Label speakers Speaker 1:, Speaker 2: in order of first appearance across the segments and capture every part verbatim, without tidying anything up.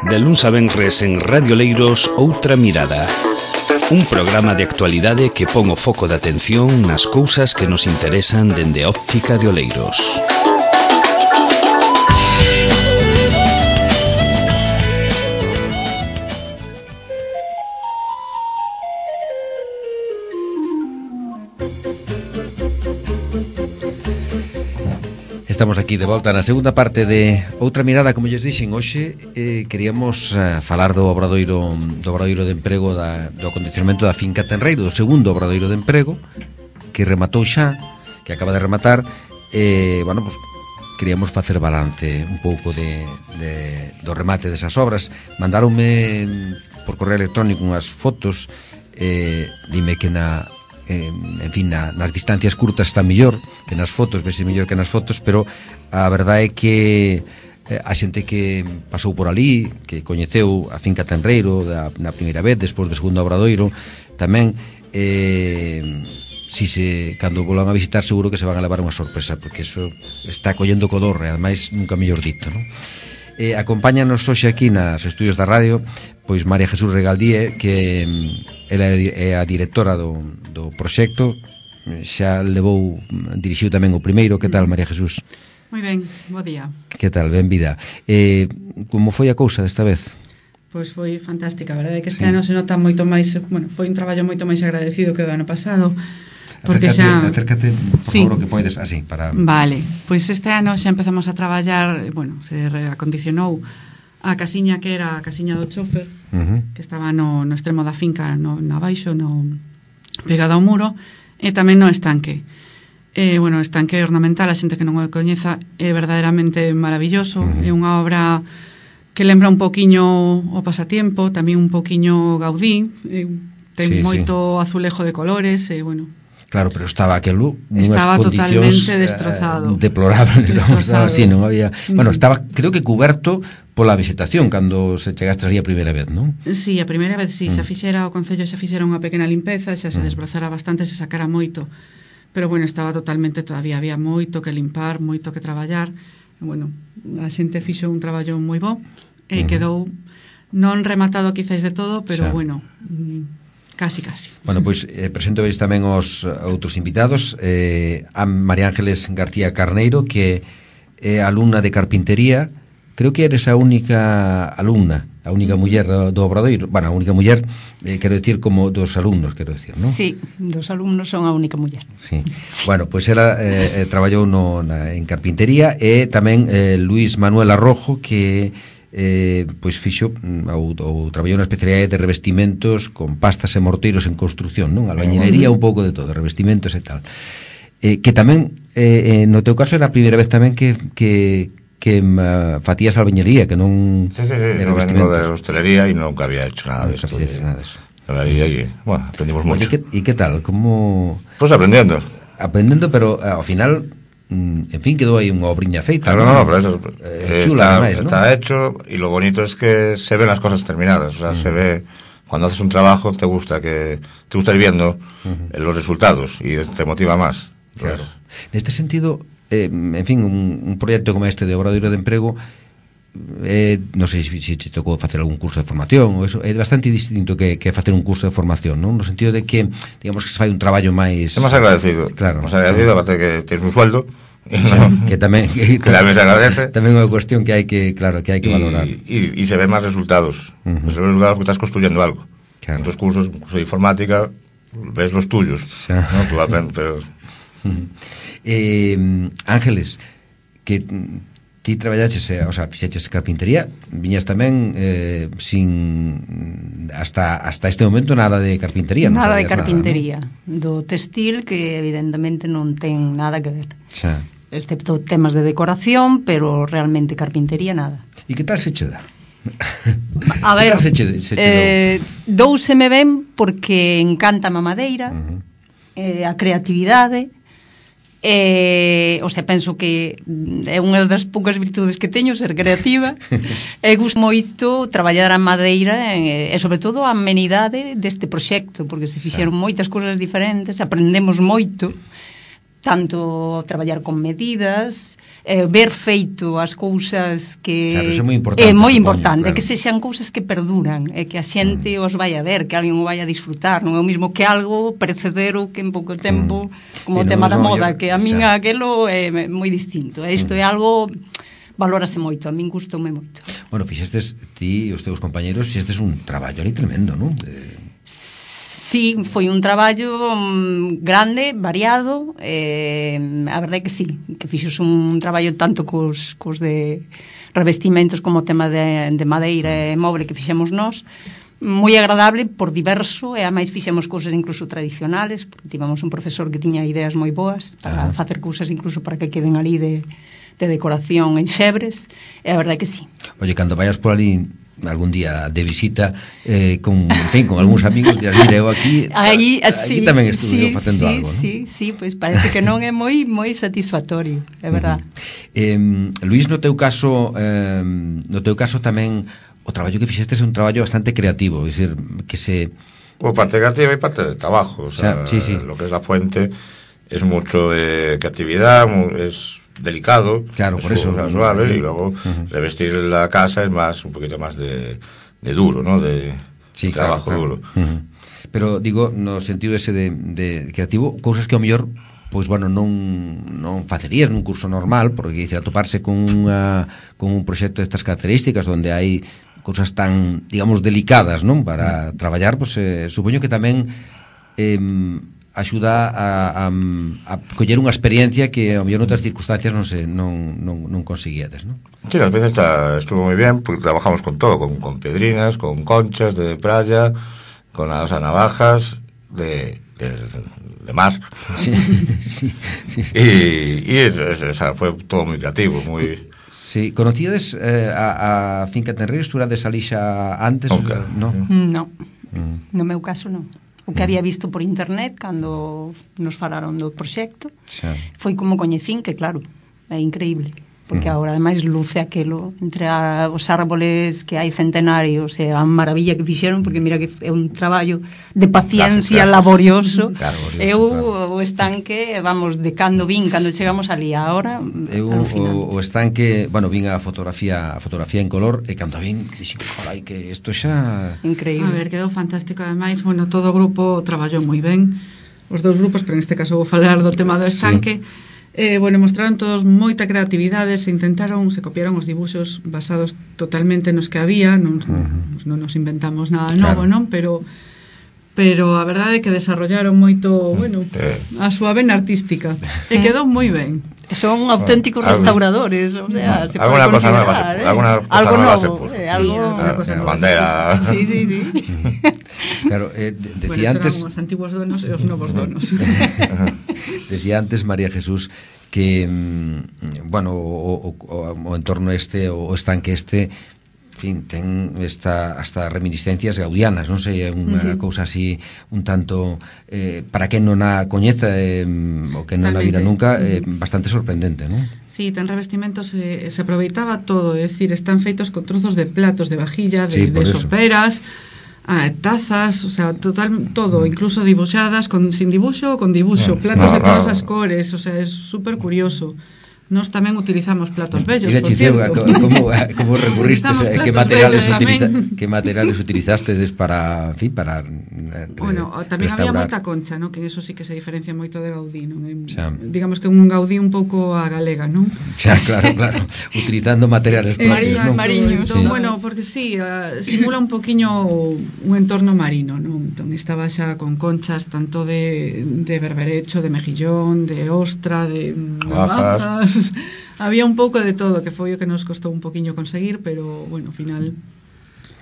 Speaker 1: De luns a venres en Radio Leiros, Outra Mirada. Un programa de actualidade que pon o foco de atención nas cousas que nos interesan dende a óptica de Oleiros.
Speaker 2: Estamos aquí de volta na segunda parte de Outra Mirada. Como lles dixen, hoxe eh, queríamos eh, falar do obradoiro do obradoiro de emprego da, do acondicionamento da finca Tenreiro, do segundo obradoiro de emprego que rematou xa, que acaba de rematar. eh, bueno, pues, queríamos facer balance un pouco de, de, do remate desas obras. Mandaronme por correo electrónico unhas fotos. eh, dime que na Eh, en fin, na, nas distancias curtas está mellor que nas fotos, vese mellor que nas fotos, pero a verdade é que eh, a xente que pasou por ali, que coñeceu a finca Tenreiro da, na primeira vez, despois do segundo obradoiro tamén, eh, si se, cando volan a visitar, seguro que se van a levar unha sorpresa, porque eso está collendo codorre, ademais nunca mellor dito, non? Eh, acompáñanos hoxe aquí nas estudios da radio pois María Jesús Regaldíe, que ela é a directora do, do proxecto, xa levou, dirixiu tamén o primeiro. Que tal, María Jesús?
Speaker 3: Moi ben, bo día.
Speaker 2: Que tal, ben vida. Eh, como foi a cousa desta vez?
Speaker 3: Pois foi fantástica, a verdade é que este
Speaker 2: sí.
Speaker 3: ano se nota moito máis, bueno, foi un traballo moito máis agradecido que o do ano pasado.
Speaker 2: Porque acércate, xa... acércate, por
Speaker 3: sí.
Speaker 2: favor, o que poides, así, para...
Speaker 3: Vale, pois este ano xa empezamos a traballar, bueno, se reacondicionou a casiña que era a casiña do chofer, uh-huh. que estaba no, no extremo da finca, no, na baixo, no, pegada ao muro, e tamén no estanque. E, bueno, o estanque ornamental, a xente que non o coñeza, é verdadeiramente maravilloso, uh-huh. é unha obra que lembra un poquiño o pasatiempo, tamén un poquiño Gaudí, e, ten
Speaker 2: sí,
Speaker 3: moito
Speaker 2: sí.
Speaker 3: azulejo de colores, e, bueno...
Speaker 2: Claro, pero estaba aquelo
Speaker 3: estaba
Speaker 2: totalmente
Speaker 3: destrozado.
Speaker 2: Eh, deplorable,
Speaker 3: destrozado.
Speaker 2: Así, non había, bueno, estaba creo que cuberto pola vegetación cando se chegaste ali a primeira vez, non?
Speaker 3: Sí, a primeira vez, sí, mm. xa fixera o Concello xa fixera unha pequena limpeza, xa se
Speaker 2: mm.
Speaker 3: desbrozara bastante, se sacara moito. Pero bueno, estaba totalmente, todavía había moito que limpar, moito que traballar. E, bueno, a xente fixo un traballo moi bo e mm. quedou non rematado quizáis de todo, pero xa. bueno, casi, casi.
Speaker 2: Bueno, pois eh, presento veis tamén os outros invitados. eh, a María Ángeles García Carneiro, que é alumna de carpintería. Creo que eres a única alumna, a única muller do obradoiro. Bueno, a única muller, eh, quero decir, como dos alumnos, quero decir, non?
Speaker 4: Sí, dos alumnos son a única muller.
Speaker 2: Sí. Sí. Bueno, pois ela eh, eh, traballou no, na, en carpintería. E tamén eh, Luis Manuel Arrojo, que eh, pois fixo ou, ou traballou na especialidade de revestimentos con pastas e morteiros en construción, non? Albañilería, un pouco de todo, revestimentos e tal. Eh, que tamén, eh, no teu caso, era a primeira vez tamén que... que que uh, fatías albañería, que non...
Speaker 5: Sí, sí, sí, no vengo de hostelería e nunca había hecho nada de esto.
Speaker 2: Nunca de... nada de eso.
Speaker 5: Y, bueno, aprendimos mucho.
Speaker 2: ¿Y qué, ¿Y qué tal? ¿Cómo...?
Speaker 5: Pues aprendiendo.
Speaker 2: Aprendiendo, pero uh, ao final, mm, en fin, quedou aí unha obriña feita.
Speaker 5: Claro, no, no, pero eso
Speaker 2: eh, chula,
Speaker 5: está,
Speaker 2: además, ¿no?
Speaker 5: Está hecho, y lo bonito es que se ven las cosas terminadas. O sea, mm. se ve... Cuando haces un trabajo, te gusta que te gusta ir viendo uh-huh. los resultados y te motiva más.
Speaker 2: Claro. Neste sentido... Eh, en fin, un, un proxecto como este de obradoiro de emprego, eh, non sei se, se te tocou facer algún curso de formación ou eso, é bastante distinto que, que facer un curso de formación, non? No sentido de que, digamos, que se fai un traballo máis...
Speaker 5: É máis agradecido,
Speaker 2: claro.
Speaker 5: máis agradecido, aparte que tens un sueldo,
Speaker 2: sí, no, que tamén que,
Speaker 5: que tamén se agradece,
Speaker 2: tamén é unha cuestión que hai que, claro, que hai que
Speaker 5: y,
Speaker 2: valorar.
Speaker 5: E se ven máis resultados, uh-huh. se ven resultados porque estás construyendo algo. Claro. En tus cursos, curso de informática, ves los tuyos, sí. ¿no? Tú aprendes, pero...
Speaker 2: Uh-huh. Eh, Ángeles, que ti traballaches, o sea, fixeches carpintería, viñas tamén eh, sin hasta hasta este momento nada de carpintería,
Speaker 4: nada de carpintería,
Speaker 2: nada, ¿no?
Speaker 4: Do textil, que evidentemente non ten nada que ver.
Speaker 2: Xa.
Speaker 4: Excepto temas de decoración, pero realmente carpintería nada.
Speaker 2: E que tal se che dá?
Speaker 4: A ver,
Speaker 2: se che, se che
Speaker 4: eh, douseme ben porque encanta a madeira, uh-huh. eh, a creatividade. Eh, o sea, penso que é unha das poucas virtudes que teño, ser creativa. E gusto moito traballar a madeira e, e sobre todo a amenidade deste proxecto, porque se fixeron moitas cousas diferentes, aprendemos moito, tanto traballar con medidas, eh, ver feito as cousas que
Speaker 2: claro, é moi importante,
Speaker 4: é moi
Speaker 2: supoño,
Speaker 4: importante,
Speaker 2: claro.
Speaker 4: que sexan cousas que perduran, e que a xente mm. os vai a ver, que alguén o vai a disfrutar, non é o mismo que algo precedero que en pouco tempo, mm. como o tema da moda, que a min xa. aquelo é moi distinto. Isto mm. é algo valórase moito, a min gustoume moito.
Speaker 2: Bueno, fixestes ti e os teus compañeros, fixestes un traballo ali tremendo, non? De...
Speaker 4: Sí, foi un traballo um, grande, variado, eh, a verdade é que sí, que fixos un traballo tanto cos, cos de revestimentos como o tema de, de madeira e moble que fixemos nós, moi agradable por diverso, e a máis fixemos cousas incluso tradicionales, porque tivemos un profesor que tiña ideas moi boas para Ajá. facer cousas incluso para que queden ali de, de decoración en xebres, e a verdade é que sí.
Speaker 2: Oye, cando vayas por ali algún día de visita eh, con, en fin, con algúns amigos dirás, mira, eu aquí
Speaker 4: aí,
Speaker 2: aquí tamén estuve
Speaker 4: sí,
Speaker 2: facendo
Speaker 4: sí,
Speaker 2: algo, ¿no?
Speaker 4: Sí, sí, pois pues parece que non é moi moi satisfactorio, é verdad.
Speaker 2: Uh-huh. eh, Luís, no teu caso eh, no teu caso tamén o traballo que fixestes é un traballo bastante creativo, é dicir, que se...
Speaker 5: Bueno, parte creativa y parte de trabajo, o sea,
Speaker 2: o sea sí, sí.
Speaker 5: lo que es la fuente es mucho de creatividad, es delicado,
Speaker 2: claro, por eso,
Speaker 5: es suave,
Speaker 2: uh-huh.
Speaker 5: y luego uh-huh. revestir la casa es más, un poquito más de, de duro, ¿no? De,
Speaker 2: sí,
Speaker 5: de trabajo
Speaker 2: claro, claro.
Speaker 5: duro.
Speaker 2: Uh-huh. Pero digo, no sentido ese de, de creativo, cousas que ao mellor pois bueno, non non facerías nun curso normal, porque dice, atoparse con unha con un proxecto destas características onde hai cousas tan, digamos, delicadas, non, para traballar, pois eh, supoño que tamén eh, axuda a, a, a coller unha experiencia que ao mellor noutras circunstancias non se non, non, non conseguíades, non?
Speaker 5: Sí, las veces está, estuvo muy bien, porque trabajamos con todo, con, con pedrinas, con conchas de playa, con las navajas de, de, de mar.
Speaker 2: Sí, sí, sí.
Speaker 5: Y, y eso, eso, eso, fue todo muy creativo, muy...
Speaker 2: Sí, conocíades eh, a, a Finca Tenreiro, estuvades ali xa antes?
Speaker 5: Nunca.
Speaker 2: No,
Speaker 4: no.
Speaker 2: Mm.
Speaker 4: No meu caso non. O que había visto por internet cando nos falaron do proxecto
Speaker 2: xa.
Speaker 4: Foi como coñecín, que claro, é increíble, porque agora ademais luce aquelo entre a, os árboles que hai centenarios e a maravilla que fixeron, porque mira que é un traballo de paciencia, gracias, gracias. laborioso.
Speaker 2: Claro,
Speaker 4: eu
Speaker 2: claro.
Speaker 4: O estanque, vamos, de cando vin, cando chegamos ali a hora,
Speaker 2: eu o, o estanque, bueno, vin a fotografía a fotografía en color e cando vin dixen, carai, que isto xa
Speaker 4: increíble.
Speaker 3: A ver, quedou fantástico ademais, bueno, todo o grupo traballou moi ben, os dous grupos, pero neste caso vou falar do tema do estanque. Sí. Eh, bueno, mostraron todos moita creatividade, se intentaron, se copiaron os dibuxos basados totalmente nos que había, non, uh-huh. non nos inventamos nada novo, claro. non? Pero pero a verdade é que desarrollaron moito, bueno, a súa vena artística e quedou moi ben.
Speaker 4: Son auténticos bueno, restauradores, o sea, se
Speaker 5: alguna
Speaker 4: puede
Speaker 5: cosa nueva,
Speaker 4: ¿eh?
Speaker 5: alguna cosa
Speaker 4: algo
Speaker 5: nueva
Speaker 4: novo,
Speaker 5: se
Speaker 4: eh, algo,
Speaker 3: sí,
Speaker 5: la,
Speaker 3: cosa
Speaker 5: la bandera.
Speaker 4: Sí, sí, sí.
Speaker 2: Claro, eh, decía
Speaker 3: bueno,
Speaker 2: antes
Speaker 3: os antiguos donos e os novos donos.
Speaker 2: Decía antes María Jesús que mm, bueno, o, o, o entorno este, o estanque este, en fin, ten esta, hasta reminiscencias gaudianas, non sei, é unha sí. cousa así un tanto eh, para quen non a coñeza eh, o que non a vira nunca, eh, bastante sorprendente, non?
Speaker 3: Sí, ten revestimentos, se, se aproveitaba todo, é dicir, están feitos con trozos de platos de vajilla, de, sí, de soperas, ah, tazas, o sea, total, todo, incluso dibuixadas, con, sin dibuxo, con dibuxo, platos de todas as cores, o sea, é super curioso. Nós tamén utilizamos platos bellos, por cierto.
Speaker 2: Como, como recurristes, que materiales utiliza, que materiales utilizastedes para, en fin, para eh,
Speaker 3: bueno, tamén
Speaker 2: restaurar.
Speaker 3: Había moita concha, ¿no? Que eso sí que se diferencia moito de Gaudí, ¿no? Xa. Digamos que un Gaudí un pouco a galega, ¿non?
Speaker 2: Xa, claro, claro. Utilizando materiales propios,
Speaker 3: eh,
Speaker 2: ¿non?
Speaker 3: Mariños.
Speaker 2: Sí.
Speaker 3: Entón, bueno, porque sí, uh, simula un poquiño un entorno marino, ¿no? Entón estaba xa con conchas tanto de, de berberecho, de mejillón, de ostra, de navajas. Había un pouco de todo, que foi o que nos costou un poquiño conseguir, pero, bueno, ao final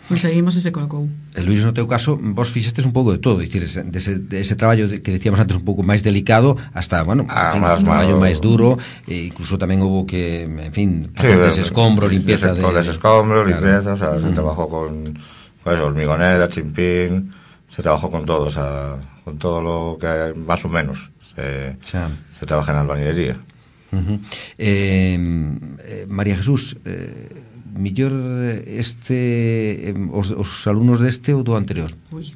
Speaker 3: conseguimos ese colocou.
Speaker 2: E Luís, no teu caso, vos fixestes un pouco de todo, dicir, ese, de ese, de ese traballo de, que decíamos antes un pouco máis delicado, hasta, bueno,
Speaker 5: ah,
Speaker 2: fin,
Speaker 5: más,
Speaker 2: un traballo
Speaker 5: más,
Speaker 2: máis duro, e incluso tamén houve que, en fin,
Speaker 5: sí,
Speaker 2: desescombro, limpieza
Speaker 5: de...
Speaker 2: de...
Speaker 5: Desescombro, claro. Limpieza, o sea, se mm. trabajó con, con eso, hormigonera, chimpín, se trabajó con todo, o sea, con todo lo que hay, más o menos, se, se trabaja en albañilería.
Speaker 2: Uh-huh. eh, eh, María Jesús, eh, millor este eh, os, os alumnos deste ou do anterior?
Speaker 3: Uy.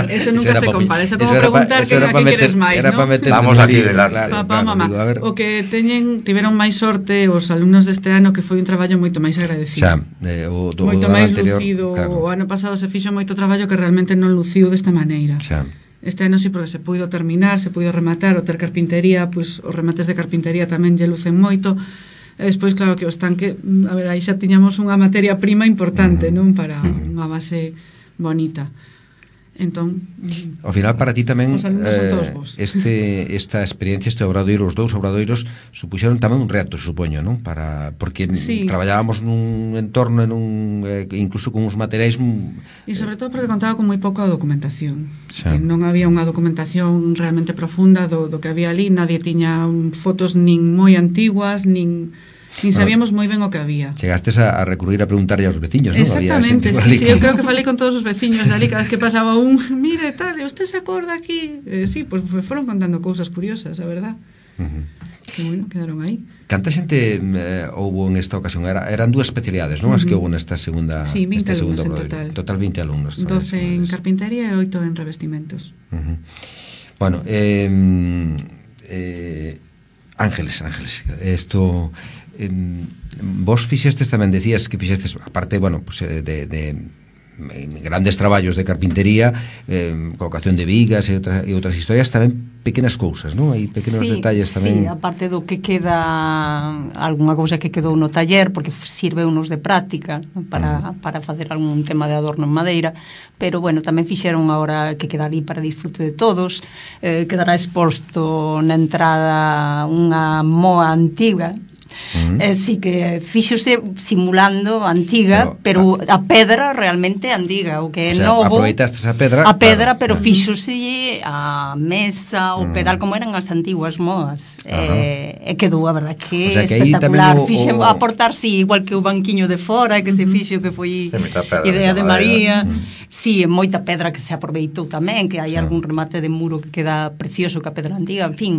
Speaker 3: Eso nunca se compara. Eso como preguntar que, a que queres máis, ¿no?
Speaker 5: Vamos aquí delante.
Speaker 3: Papá, mamá, o que teñen tiveron máis sorte os alumnos deste ano, que foi un traballo moito máis agradecido.
Speaker 2: Xa, eh, o do,
Speaker 3: moito
Speaker 2: o do
Speaker 3: máis
Speaker 2: anterior,
Speaker 3: lucido.
Speaker 2: claro.
Speaker 3: O ano pasado se fixo moito traballo que realmente non luciu desta maneira.
Speaker 2: Xa.
Speaker 3: Este ano sí, porque se puido terminar, se puido rematar, o ter carpintería, pois os remates de carpintería tamén lle lucen moito. E despois, claro, que o estanque, a ver, aí xa tiñamos unha materia prima importante,
Speaker 2: Uh-huh.
Speaker 3: non? Para
Speaker 2: Uh-huh.
Speaker 3: unha base bonita. Entón,
Speaker 2: ao final para ti tamén
Speaker 3: os alumnos son todos
Speaker 2: eh,
Speaker 3: vos.
Speaker 2: este esta experiencia, este obradoiro, os dous obradoiros supuxeron tamén un reto, supoño, non? Para porque
Speaker 3: Sí.
Speaker 2: traballábamos nun entorno, en un eh, incluso con uns materiais
Speaker 3: E sobre todo porque contaba con moi pouca documentación.
Speaker 2: Xa.
Speaker 3: Que non había unha documentación realmente profunda do, do que había ali, nadie tiña um, fotos nin moi antiguas, nin nin sabíamos moi ben o que había.
Speaker 2: Chegastes a, a recurrir a preguntarlle aos veciños, non?
Speaker 3: Exactamente,
Speaker 2: Había
Speaker 3: sí, sí, eu creo que falei con todos os veciños de ali, cada vez que pasaba un, mire, tal, usted se acorda aquí? Eh, sí, pues foron contando cousas curiosas, a verdad.
Speaker 2: Uh-huh.
Speaker 3: Que bueno, quedaron aí.
Speaker 2: Canta xente eh, houbo en esta ocasión? Era, eran dúas especialidades, non? As que houbo nesta segunda
Speaker 3: Sí, vinte
Speaker 2: este segundo
Speaker 3: alumnos en
Speaker 2: obradoiro.
Speaker 3: total.
Speaker 2: Total vinte alumnos.
Speaker 3: doce en
Speaker 2: traballadores.
Speaker 3: carpintería e oito en revestimentos.
Speaker 2: Uh-huh. Bueno, eh, eh, Ángeles, Ángeles, esto eh, vos fixestes tamén, decías que fixestes, aparte, bueno, pues, de, de grandes traballos de carpintería, eh, colocación de vigas e, outra, e outras historias, tamén pequenas cousas, non? Hai pequenos
Speaker 4: sí,
Speaker 2: detalles tamén.
Speaker 4: Sí, aparte do que queda algunha cousa que quedou no taller, porque sirve unos de práctica para, mm. para facer algún tema de adorno en madeira, pero bueno, tamén fixeron agora que queda ali para disfrute de todos. Eh, quedará exposto na entrada unha moa antiga. Uh-huh. Eh, sí que fíxose simulando antiga, pero, pero a, a pedra realmente antiga, o que é o sea, novo.
Speaker 2: Aproveitastes a pedra,
Speaker 4: a pedra,
Speaker 2: claro,
Speaker 4: pero
Speaker 2: claro.
Speaker 4: fíxose a mesa, o uh-huh. pedal como eran as antiguas moas. Uh-huh. Eh, e quedou a verdade que, o sea, que espectacular. O, Fixe o... aportar, sí, igual que o banquiño de fora, que se fixo que foi idea de María. Uh-huh. Sí, moita pedra que se aproveitou tamén, que hai sí. algún remate de muro que queda precioso ca pedra antiga, en fin,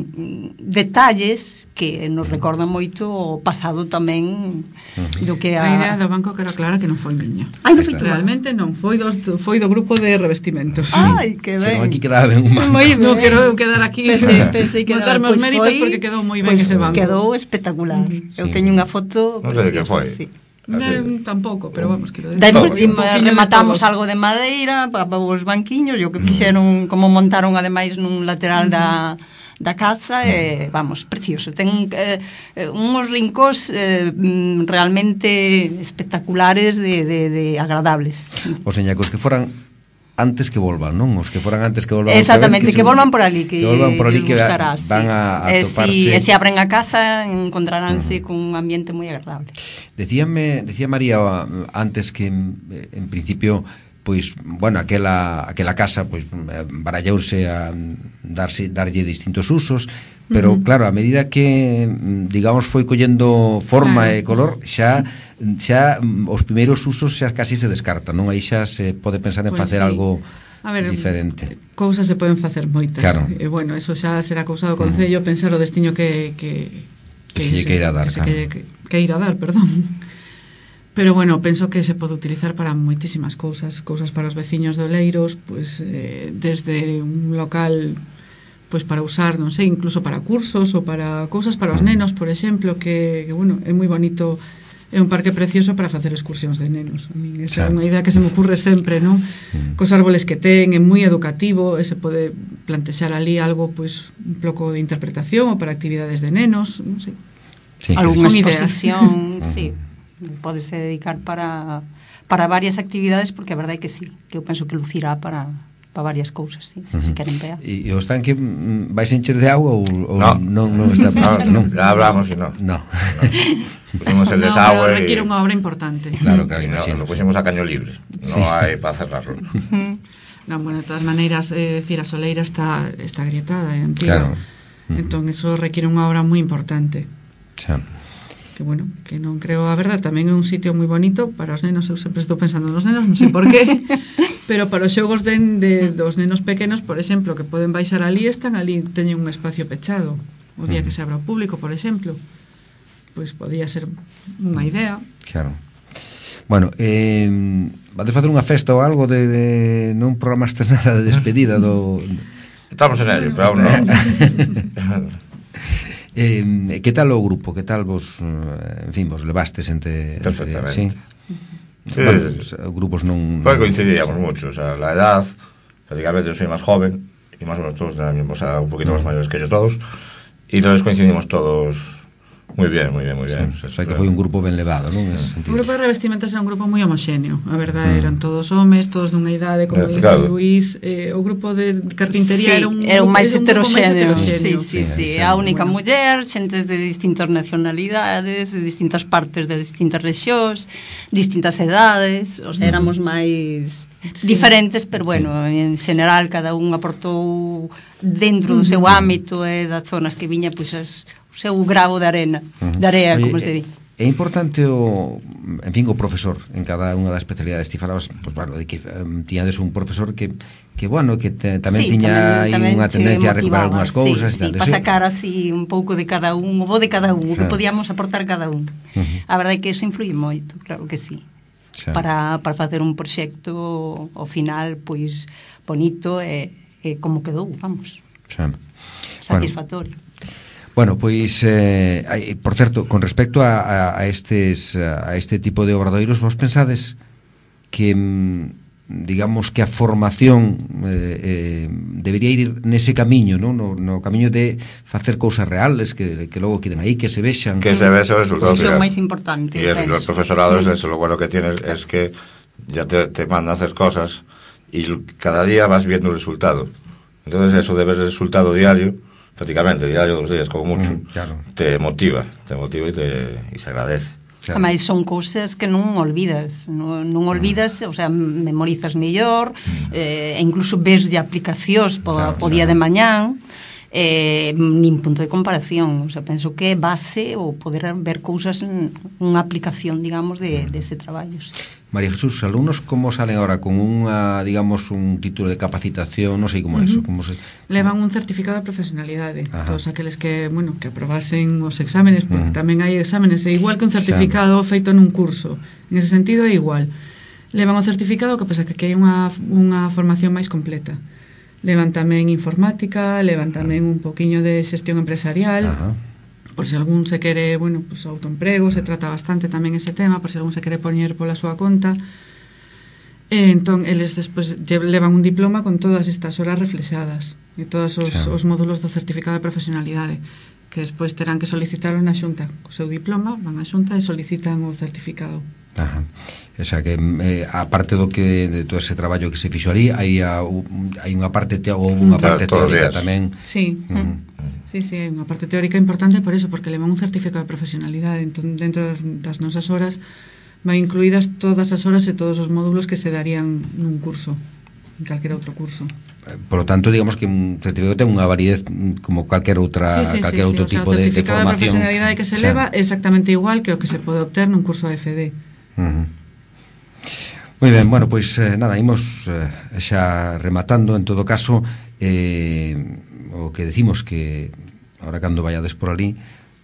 Speaker 4: detalles que nos recordan moito o pasado tamén uh-huh. do que a...
Speaker 3: A idea do banco que era clara que non foi miña.
Speaker 4: Ai, non foi
Speaker 3: realmente non, foi dos, foi do grupo de revestimentos.
Speaker 4: Ai, que ben.
Speaker 2: Se non aquí quedaba ben un banco.
Speaker 4: Moi ben.
Speaker 3: Non quero eu quedar aquí.
Speaker 4: Pensei, pensei que
Speaker 3: darme os
Speaker 4: pues
Speaker 3: méritos
Speaker 4: foi,
Speaker 3: porque quedou moi ben
Speaker 4: pues
Speaker 3: ese banco.
Speaker 4: Quedou espectacular. Sí. Eu teño unha foto
Speaker 5: non sei de que foi.
Speaker 4: Sí.
Speaker 3: Non, tampouco, pero vamos, quero
Speaker 4: decir. Despois rematamos algo de madeira para os banquiños, e o que fixeron, como montaron ademais nun lateral da da casa, e, vamos, precioso. Ten eh, uns rincós eh, realmente espectaculares de, de, de agradables.
Speaker 2: O seña, cos que foran antes que volvan, non? Os que foran antes que volvan.
Speaker 4: Exactamente, que, que volvan por ali, que,
Speaker 2: que volvan por ali, que
Speaker 4: gustará,
Speaker 2: van a, a
Speaker 4: eh,
Speaker 2: toparse.
Speaker 4: Si, e se abren a casa encontraránse uh-huh. con un ambiente moi agradable.
Speaker 2: Decíame, decía María antes que en principio pois, bueno, aquela aquela casa pois barallouse a darse darlle distintos usos, pero uh-huh. claro, a medida que digamos foi collendo forma claro. e color, xa xa os primeiros usos xa casi se descartan, non? Aí xa se pode pensar en
Speaker 3: pues
Speaker 2: facer sí. algo
Speaker 3: a ver,
Speaker 2: diferente.
Speaker 3: Cousas se poden facer moitas.
Speaker 2: Claro.
Speaker 3: E bueno, eso xa será cousa do Concello, uh-huh. pensar o destiño que que
Speaker 2: que, que se lle queira dar,
Speaker 3: que,
Speaker 2: claro.
Speaker 3: que, que, que ir a dar, perdón. Pero bueno, penso que se pode utilizar para moitísimas cousas, cousas para os veciños de Oleiros, pues eh, desde un local pues para usar, non sei, incluso para cursos ou para cousas para os nenos, por exemplo, que, que bueno, é moi bonito. É un parque precioso para facer excursións de nenos. A min esa é unha idea que se me ocurre sempre, non? Mm. Cos árboles que ten, é moi educativo, e se pode plantexar ali algo, pois, un pouco de interpretación ou para actividades de nenos, non sei.
Speaker 4: Sí, algunha exposición, sí. Pódese dedicar para para varias actividades, porque a verdade é que sí, que eu penso que lucirá para para varias cousas, sí, se uh-huh. si queren ver.
Speaker 2: E o estanque vais encher de agua ou, ou
Speaker 5: no.
Speaker 2: non, non está previsto, non?
Speaker 5: Ya hablamos e non.
Speaker 2: No.
Speaker 5: Pusimos el desagüe.
Speaker 3: No, requiere unha obra importante.
Speaker 2: Claro, claro,
Speaker 5: no,
Speaker 2: imagino.
Speaker 5: Lo pusimos a caño libre. No sí. hai para cerrarlo.
Speaker 3: No, bueno, de todas maneiras, é eh, dicir, a soleira está está agrietada, é antiga.
Speaker 2: Claro.
Speaker 3: Entón, eso requiere unha obra moi importante.
Speaker 2: Xa.
Speaker 3: Que bueno, que non creo, a verdade, tamén é un sitio moi bonito para os nenos, eu sempre estou pensando nos nenos, non sei por qué, pero para os xogos de, de, dos nenos pequenos, por exemplo, que poden baixar ali, están ali, teñen un espacio pechado, o día que se abra ao público, por exemplo, pois podía ser unha idea.
Speaker 2: Claro. Bueno, eh, vades facer unha festa ou algo de, de non programaste nada de despedida do...
Speaker 5: Estamos en ello, pero aún non.
Speaker 2: eh, que tal o grupo? Que tal vos, en fin, vos levastes entre...
Speaker 5: Perfectamente.
Speaker 2: Entre, sí?
Speaker 5: Sí,
Speaker 2: bueno, pues, grupos non...
Speaker 5: Pues coincidíamos mucho, o sea, la edad, prácticamente yo soy más joven, y más o menos todos de la misma, o sea, un poquito más mayores que yo todos, y entonces coincidimos todos muy bien, muy bien, muy bien.
Speaker 2: Sí, o sea, que foi un grupo ben levado, non?
Speaker 3: Sí. O grupo de revestimentas era un grupo moi homoxéneo, a verdade, mm. eran todos homes, todos dunha idade, como dice claro. Luís, eh, o grupo de carpintería sí, era un
Speaker 4: era un máis heteroxéneo.
Speaker 3: Sí,
Speaker 4: sí, sí, sí, a única bueno. muller, xentes de distintas nacionalidades, de distintas partes de distintas rexións, distintas edades, o sea, éramos máis sí. diferentes, pero bueno, sí. en general cada un aportou dentro do seu ámbito e das zonas que viña, pois as o seu gravo de arena, uh-huh. de area, como se di.
Speaker 2: É importante o, en fin, o profesor en cada unha das especialidades. Ti falabas, pues, bueno, de que um, tiñades un profesor que, que bueno, que te, tamén sí, tiña tamén, tamén unha tendencia a recuperar algunhas cousas.
Speaker 4: Sí, sí, para sacar así un pouco de cada un, o bo de cada un, o que podíamos aportar cada un. Uh-huh. A verdade é que iso influye moito, claro que sí. Xa. Para, para facer un proxecto ao final, pois, bonito e, e como quedou, vamos. Xa. Satisfactorio.
Speaker 2: Bueno. Bueno, pois, eh, por certo, con respecto a, a, a, estes, a este tipo de obradoiros, vos pensades que, digamos, que a formación eh, eh, debería ir nese camiño, ¿no? No, no camiño de facer cousas reales, que, que logo queden aí, que se vexan.
Speaker 5: Que se vexan os resultados.
Speaker 4: Iso é o máis importante.
Speaker 5: Y es, los profesorados, eso lo bueno que tienes es que ya te, te mandan a hacer cosas y cada día vas viendo el resultado. Entonces eso de ver el resultado diario, prácticamente diario, dos días como mucho, mm, claro. te motiva, te motiva y, te, y se agradece.
Speaker 4: Claro. Ademais son cousas que non olvidas, non, non olvidas, mm. o sea, memorizas mellor, mm. eh, e incluso ves de aplicacións po, claro, po día claro. de mañán, eh, nin punto de comparación, o sea, penso que é base o poder ver cousas, unha aplicación, digamos, de, de ese traballo. Sí, sí.
Speaker 2: María Jesús, alumnos como salen ahora con unha, digamos, un título de capacitación, non sei como uh -huh. eso, como se...
Speaker 3: Levan un certificado de profesionalidade. Ajá. Todos aqueles que, bueno, que aprobasen os exámenes, porque uh -huh. tamén hai exámenes, é igual que un certificado Xa. feito nun curso. En ese sentido é igual. Levan o certificado, que pasa que hai unha, unha formación máis completa. Levan tamén informática, levan tamén un poquiño de xestión empresarial. Ajá. Por se algún se quere, bueno, pues autoemprego, se trata bastante tamén ese tema, por se algún se quere poñer pola súa conta. E entón, eles despois levan un diploma con todas estas horas reflexadas e todos os, sí. os módulos do certificado de profesionalidade, que despois terán que solicitarlo na xunta. Co seu diploma van á xunta e solicitan o certificado.
Speaker 2: Ajá. O sea que, eh, aparte do que de todo ese traballo que se fixo ali, hai, a, hai unha parte te, ou unha parte
Speaker 5: claro,
Speaker 2: teórica tamén.
Speaker 3: Sí. Mm. Sí, sí, hai unha parte teórica importante por eso, porque levan un certificado de profesionalidade. Entón, dentro das, das nosas horas vai incluídas todas as horas e todos os módulos que se darían nun curso, en calquera outro curso.
Speaker 2: Por lo tanto, digamos que un certificado ten unha validez como calquer outra,
Speaker 3: sí, sí,
Speaker 2: calquer
Speaker 3: sí,
Speaker 2: outro
Speaker 3: sí,
Speaker 2: tipo
Speaker 3: o sea,
Speaker 2: de, de formación. O certificado de
Speaker 3: profesionalidade que se leva é exactamente igual que o que se pode obter nun curso de F D.
Speaker 2: Uh-huh. Moi ben, bueno, pois eh, nada, imos eh, xa rematando. En todo caso, eh, o que decimos que ahora cando vayades por ali,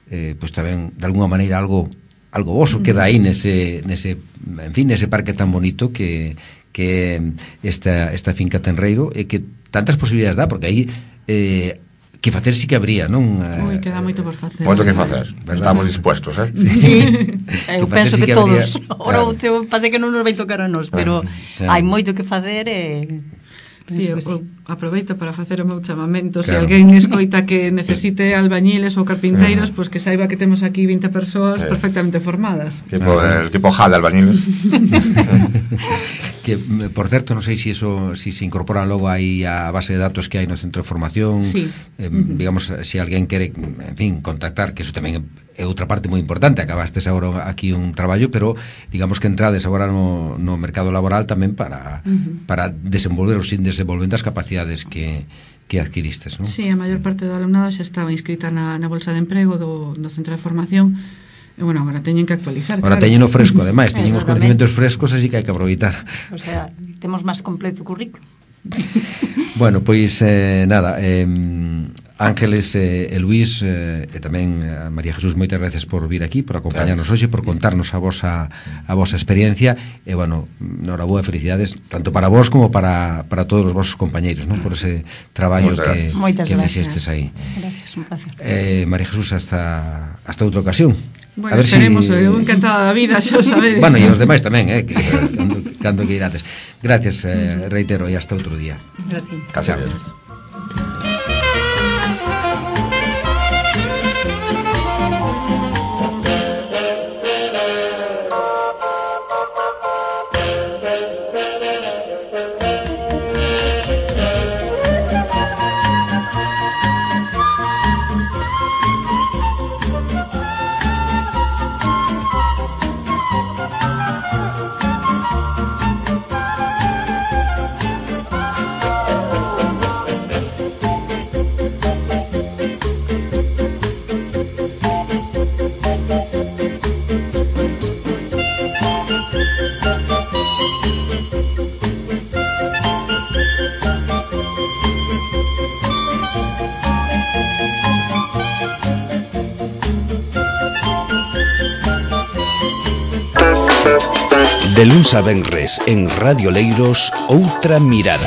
Speaker 2: eh, pois tamén de alguna maneira algo algo voso queda aí nese, nese, en fin, nese parque tan bonito que que esta, esta finca Tenreiro, e que tantas posibilidades dá, porque aí eh, que facer sí que habría, non?
Speaker 3: Ui, queda moito por facer.
Speaker 5: Moito que facer. Estamos dispuestos, eh?
Speaker 4: Sí. Eu penso que, que todos. Ora, o teu pase que non nos vai tocar a nós, pero hai moito que facer e...
Speaker 3: Sí, eu, sí. aproveito para facer o meu chamamento. Claro. Se alguén escoita que necesite albañiles ou carpinteiros, pois pues que saiba que temos aquí vinte persoas sí. perfectamente formadas.
Speaker 5: Tipo, el tipo J de albañiles.
Speaker 2: Que, por certo, non sei se eso si se incorpora logo aí a base de datos que hai no centro de formación.
Speaker 3: Sí.
Speaker 2: Eh, uh-huh. Digamos, se alguén quere, en fin, contactar, que eso tamén é outra parte moi importante. Acabastes agora aquí un traballo, pero digamos que entrades agora no, no mercado laboral tamén para, uh-huh. para desenvolver ou sin desenvolvendo as capacidades que, que adquiristes, non?
Speaker 3: Sí, a maior parte do alumnado xa estaba inscrita na, na bolsa de emprego do, do centro de formación. E, bueno, agora teñen que actualizar.
Speaker 2: Agora claro. Teñen o fresco, ademais, teñen os conhecimentos frescos, así que hai que aproveitar.
Speaker 4: O sea, temos máis completo o currículo.
Speaker 2: Bueno, pois, eh, nada, eh, Ángeles e, e Luís e, e tamén a María Jesús, moitas gracias por vir aquí, por acompañarnos hoxe, por contarnos a vosa a vosa experiencia e, bueno, noraboa, felicidades tanto para vos como para, para todos os vosos compañeiros, ¿no? Por ese traballo que, que fixestes aí.
Speaker 4: Gracias, un placer.
Speaker 2: Eh, María Jesús, hasta, hasta outra ocasión.
Speaker 3: Bueno, a ver esperemos, si... eu encantada da vida, xa sabedes.
Speaker 2: Bueno, e os demais tamén, eh, que, cando, cando que irades. Gracias, eh, reitero, e hasta outro día.
Speaker 4: Gracias.
Speaker 5: Gracias.
Speaker 1: De luns a venres en Radio Leiros, Outra Mirada.